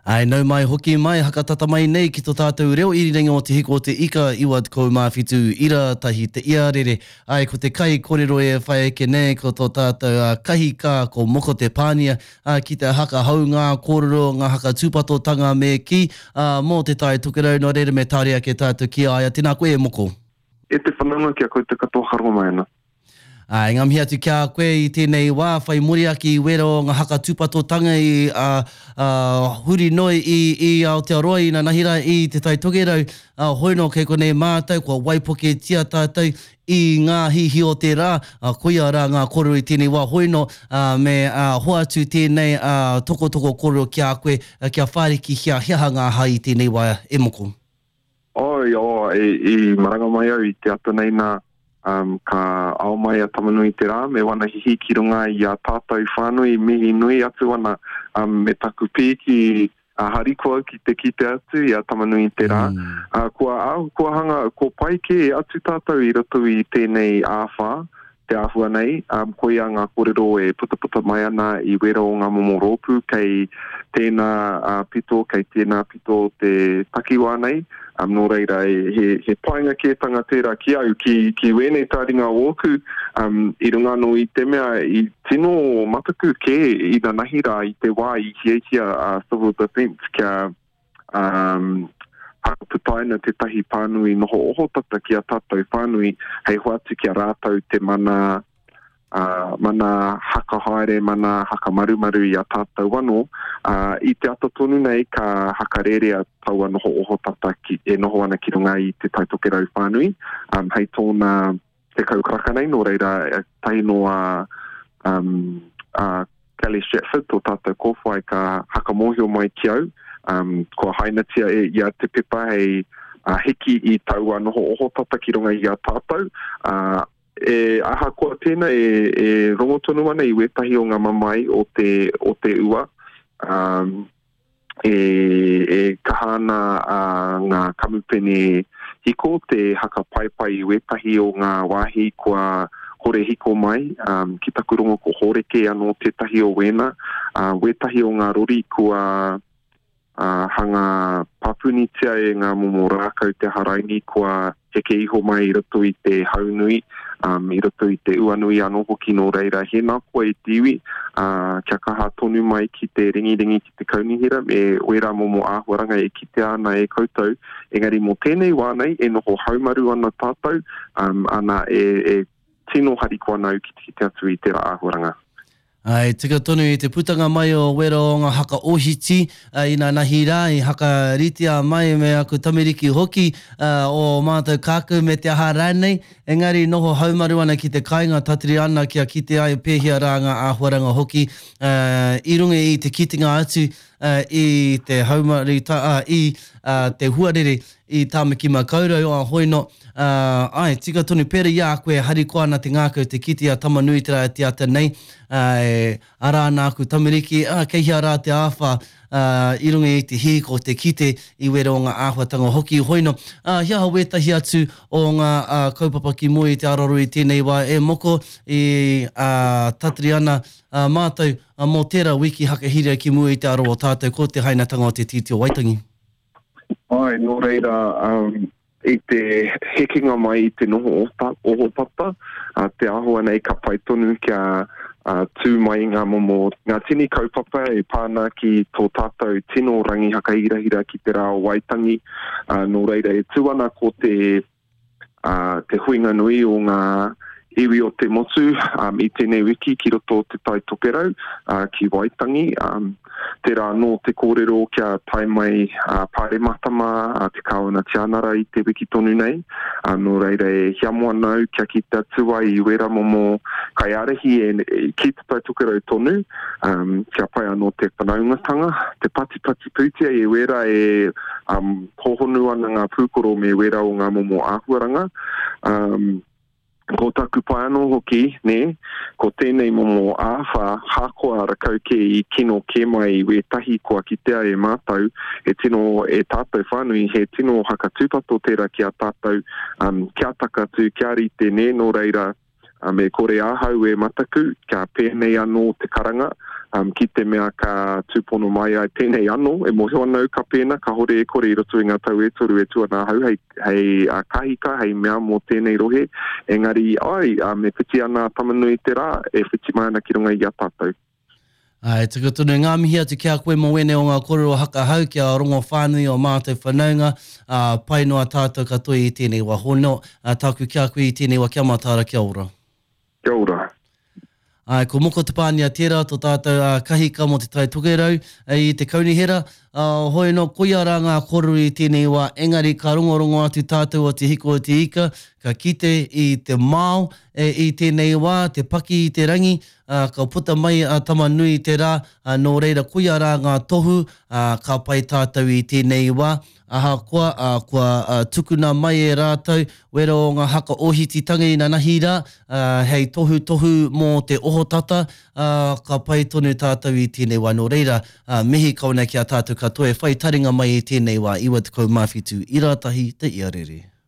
Āe, nau mai hoki mai, hakatata mai nei ki to tātou reo irirangi o Te Hiko o Te Ika 97 ira tahi te iarere. Āe, ko te kai korero e whai ake nei ko to tātou a Kahika ko Moko Te Pānia, ā, ki te haka hou ngā kōrero, ngā haka tūpatotanga me kī, ā, mō Te Tai Tokerau, nō reira me tāre ake tātou ki a ia. Tēnā koe e Moko. E te whanaunga ki a koutou katoa haronga mai ana. Ā, ngā mihi atu ki a koe i tēnei wā, whai muri ake i wera o ngā haka tūpatotanga i, ā, ā, huri noa i, i Aotearoa inanahi rā i Te Tai Tokerau, ā, hoi nō kei konei mātou, kua waipuketia tātou i ngā hihi o te rā, ā, koia rā ngā kōrero i tēnei wā, hoi nō, ā, me, ā, hoatu tēnei, ā, tokotoko kōrero ki a koe, ā, kia whārikihia he aha ngā aha i tēnei wā e moko. Oi, oh, i, i maranga mai au i te ata nei nā, um, ka ao mai a Tamanui te rā me wana hihi ki runga i a tātou whānui, mihi nui atu ana um, me taku pīki a harikoa ki te kite atu i a Tamanui te rā. Mm. Uh, kua, kua hanga, kua pai kē atu tātou i roto i tēnei āwhā, te āhua nei, um, koia ngā kōrero e putaputa mai ana i wera o ngā momo rōpū kei tēnā uh, pito, kei tēnā pito o te takiwā nei. Um, nō reira, e, he, he painga kētanga tērā ki au, ki, ki wēnei tāringa ōku, um, i runga anō i te mea i tino mataku kē inanahi rā i te wā i hiahia a uh, Civil Defence kia um, whakaputaina tētahi pānui noho ohotata ki a tātou whānui hei hoatu ki a rātou te mana, uh, mana hakahaere, mana hakamarumaru i a tātou anō. Uh, I te ata tonu nei ka hakarērea taua noho ohotata ki, e noho ana ki runga i te Taitokerau whānui, um, hei tōna 10 karaka nei, nō reira, tahi noa um, a Kelly Stratford, tō tātou kōwhai, ka hakamōhio mai ki au, um, kua hainatia e ia te pepa hei uh, hiki i taua noho ohotata ki runga i a tātou. Uh, e ahakoa tēnā e, e rongo tonu ana i wētahi o ngā mamae o te, o te ua, um, e, e kaha ana a, ngā kamupene hiko te haka paepae i wētahi o ngā wāhi kua kore hiko mai, um, ki taku rongo ko Hōreke anō tētahi o wēnā, uh, wētahi o ngā rori kua uh, hanga papunitia e ngā momo rākau te haraini kua heke iho mai i roto i te hau nui, um, i roto i te ua nui anō hoki nō reira hēnā koa e te iwi, uh, kia kaha tonu mai ki te ringiringi ki te kaunihera me wērā momo āhuaranga e kitea ana e koutou, engari mō tēnei wā nei e noho haumaru ana tātou, um, ana e, e tino harikoa ana au ki te kite atu i tērā āhuaranga. Ā, e tika tonu i te putanga mai o wera o nga haka ohiti, ā, inanahi rā, i hakaritea mai me aku tamariki hoki, ā, o mātou kākau me te aha rānei, engari noho haumaru ana ki te kāinga tatari ana kia kite ai pēhea rā ngā āhuaranga hoki, ā, i runga i te kitenga atu, ā, i te haumaru, ā, i, ā, te huarere i Tāmaki Makaurau, ā, hoi no, ā, āe, tika tonu, pērā i a koe, harikoa ana te ngākau te kite i a Tamanuiterā e te ata nei, ā, e ara ana aku tamariki, ā, kei hea rā te āwhā, ā, i runga i te hihiko te kite i wera o ngā āhuatanga hoki, hoi no, ā, he aha wētahi atu o ngā, ā, kaupapa ki mua i te araro i tēnei wā e moko, i, ā, tatari ana, ā, mātou, ā, mō tērā wiki hakahīria ki mua i te aro o tātou ko te hainatanga o te Tiriti o Waitangi. Āe, nō reira, um, i te hekenga mai i te noho ohotata, uh, te āhua nei ka pai tonu kia uh, tū mai ngā momo, ngā tini kaupapa e pā ana ki tō tātou tino rangi hakahirahira ki te rā o Waitangi. Uh, nō reira, e tū ana ko te ā, te huinga nui o ngā iwi o te motu um, i tēnei wiki ki roto o Te Tai Tokerau, uh, ki Waitangi. Um, tērā anō te kōrero kia tae mai uh, Pāremata mā, uh, te Kāwana Tianara i te wiki tonu nei. Uh, nō reira e hiamo ana au kia kite atu ai i wērā momo kaiārahi e, e, ki Te Tai Tokerau tonu, um, kia pai anō te whanaungatanga, te patipati pūtea i wērā e um, Hōhonu ana ngā pūkoro me wērā o ngā momo āhuaranga. Um, ko taku pai anō hoki, nē, ko tēnei momo āwhā, hakoa rakau kē i kino kē mai i wētahi kua kitea e mātou, he tino, e tātou whānui, he tino hakatūpato tērā ki a tātou, um, kia takatū, kia rite, nē, nō reira, me kore ahau e mataku, kia pēnei anō te karanga, Um, ki te mea ka tūpono mai ai pēnei anō, e mōhio ana au ka pēnā, kāhore e kore i roto i ngā tau e toru e tū ana ahau hei, hei uh, kahika, hei mea mō tēnei rohe, engari ai, um, e whiti ana a Tamanui te rā, e whiti mai ana ki runga i a tātou. Āe, tuku tonu ngā mihi atu ki a koe mō wēnei o ngā kōrero hakahau kia rongo whānui o mātou whanaunga, ā, pai noa tātou katoa i tēnei wā. Hono, ā, tāku ki a koe i tēnei wā, kia mataara, kia ora. Kia ora. Āe, ko Moko Te Pānia tērā tō tātou ā, kahika mō Te Tai Tokerau i te kaunihera. Ā, hoi anō, koia rā ngā kōrero i tēnei wā, engari ka rongorongo atu tātou o Te Hiko o Te Ika, ka kite i te mao e, i tēnei wā, te paki i te rangi, ā, ka puta mai a Tamanui te rā, ā, nō reira koia rā ngā tohu, ā, ka pai tātou i tēnei wā, ahakoa, ā, kua, ā, tukuna mai e rātou wera o ngā haka ohititanga inanahi rā, ā, hei tohutohu mō te ohotata, ā, ka pai tonu tātou i tēnei wā. Nō reira, ā, mihi kau ana ki a tātou katoa e whai taringa mai i tēnei wā, 97 ira tahi te iarere.